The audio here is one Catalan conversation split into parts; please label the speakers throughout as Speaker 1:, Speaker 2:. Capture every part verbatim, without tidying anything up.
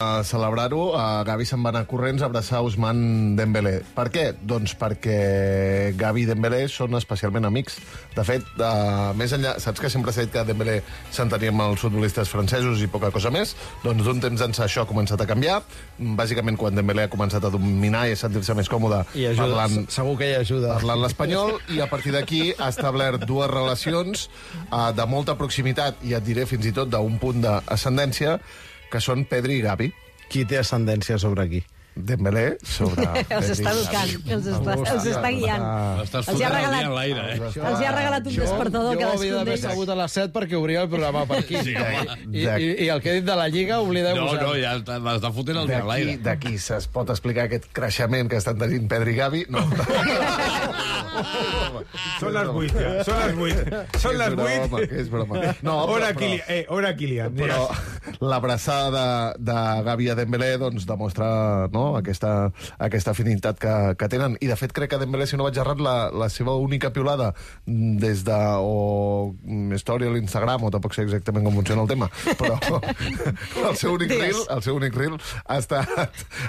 Speaker 1: A celebrar-ho, a Gavi se'n va anar corrents a abraçar Ousmane Dembélé. Per què? Doncs perquè Gavi i Dembélé són especialment amics. De fet, uh, més enllà... Saps que sempre s'ha dit que Dembélé s'entenia amb els futbolistes francesos i poca cosa més? Doncs d'un temps ençà això ha començat a canviar. Bàsicament, quan Dembélé ha començat a dominar i a sentir-se més còmode
Speaker 2: I ajuda,
Speaker 1: parlant,
Speaker 2: segur que hi ajuda.
Speaker 1: parlant l'espanyol, i a partir d'aquí ha establert dues relacions uh, de molta proximitat, i et diré fins i tot d'un punt d'ascendència, que són Pedri i Gavi.
Speaker 2: Qui té ascendència sobre qui?
Speaker 1: Dembélé sobre...
Speaker 3: Els està educant, els està, els està guiant.
Speaker 4: Estàs
Speaker 3: Els hi ha
Speaker 4: fotent el
Speaker 3: regalat-
Speaker 4: dia en l'aire, eh?
Speaker 3: Els hi ha regalat un despertador
Speaker 2: jo
Speaker 3: cadascun
Speaker 2: havia d'haver
Speaker 3: d'ells.
Speaker 2: sabut a les set perquè obria el programa per aquí.
Speaker 4: Sí, home.
Speaker 2: I, i, I el que he dit de la Lliga,
Speaker 4: No,
Speaker 2: oblideu-vos.
Speaker 4: no, ja està- l'està fotent el dia en
Speaker 1: D'aquí
Speaker 4: l'aire.
Speaker 1: d'aquí se's pot explicar aquest creixement que estan tenint Pedri i Gavi? No.
Speaker 5: Són les vuit, ja. Són les vuit. Són les
Speaker 1: És broma,
Speaker 5: vuit.
Speaker 1: que és broma. No,
Speaker 5: Hora,
Speaker 1: però-
Speaker 5: Kilian. Eh, hora, Kilian.
Speaker 1: Però l'abraçada de, de Gavi a Dembélé doncs, demostra no, aquesta, aquesta afinitat que, que tenen. I, de fet, crec que Dembélé, si no vaig errat, la, la seva única piulada des de... o història a l'Instagram, o tampoc sé exactament com funciona el tema, però el seu únic reel, el seu únic reel ha estat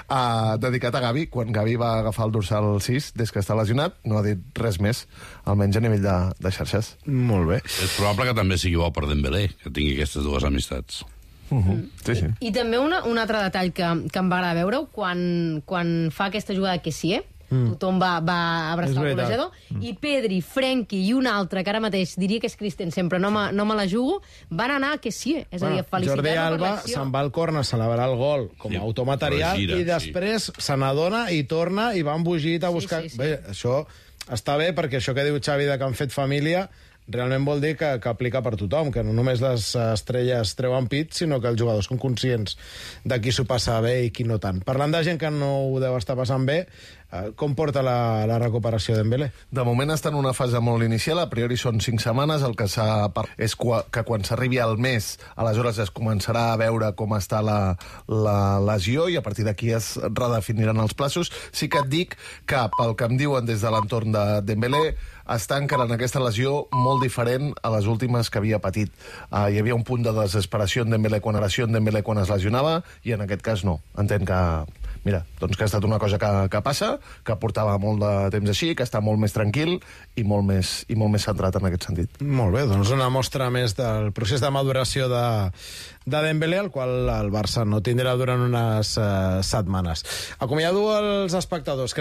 Speaker 1: uh, dedicat a Gavi, quan Gavi va agafar el dorsal sis, des que està lesionat, no ha dit res més, almenys a nivell de, de xarxes.
Speaker 2: Molt bé.
Speaker 4: És probable que també sigui bo per Dembélé, que tingui aquestes dues amistats.
Speaker 1: Uh -huh. Sí, sí.
Speaker 3: I també una, un altre detall que, que em va agradar veure quan, quan fa aquesta jugada que sí, eh? Mm. Tothom va, va abraçar el golejador, mm. i Pedri, Frenkie i un altre, que ara mateix diria que és Christensen, però no me, no me la jugo, van anar a que sí, és a dir, a felicitar-lo
Speaker 2: Jordi
Speaker 3: per
Speaker 2: Alba
Speaker 3: l'acció.
Speaker 2: se'n va al corn a celebrar el gol com a
Speaker 4: Sí,
Speaker 2: automaterial
Speaker 4: però gira,
Speaker 2: i després sí. se n'adona i torna i va embogit a buscar...
Speaker 3: Sí, sí, sí.
Speaker 2: Bé, això està bé perquè això que diu Xavi de que han fet família realment vol dir que, que aplica per tothom, que no només les estrelles treuen pit, sinó que els jugadors són conscients de qui s'ho passa bé i qui no tant. Parlant de gent que no ho deu estar passant bé, eh, com porta la, la recuperació d'Embélé?
Speaker 1: De moment està en una fase molt inicial, a priori són cinc setmanes, el que s'ha parlat és que quan s'arribi al mes, aleshores es començarà a veure com està la, la lesió i a partir d'aquí es redefiniran els plaços. Sí que et dic que, pel que em diuen des de l'entorn de Dembélé, està encara en aquesta lesió molt diferent a les últimes que havia patit. Uh, hi havia un punt de desesperació en Dembélé quan era en Dembélé quan es lesionava, i en aquest cas no. Entenc que, mira, doncs que ha estat una cosa que, que passa, que portava molt de temps així, que està molt més tranquil i molt més, i molt més centrat en aquest sentit.
Speaker 2: Molt bé, doncs una mostra més del procés de maduració de, de Dembélé, el qual el Barça no tindrà durant unes uh, setmanes. Acomiado els espectadors. Que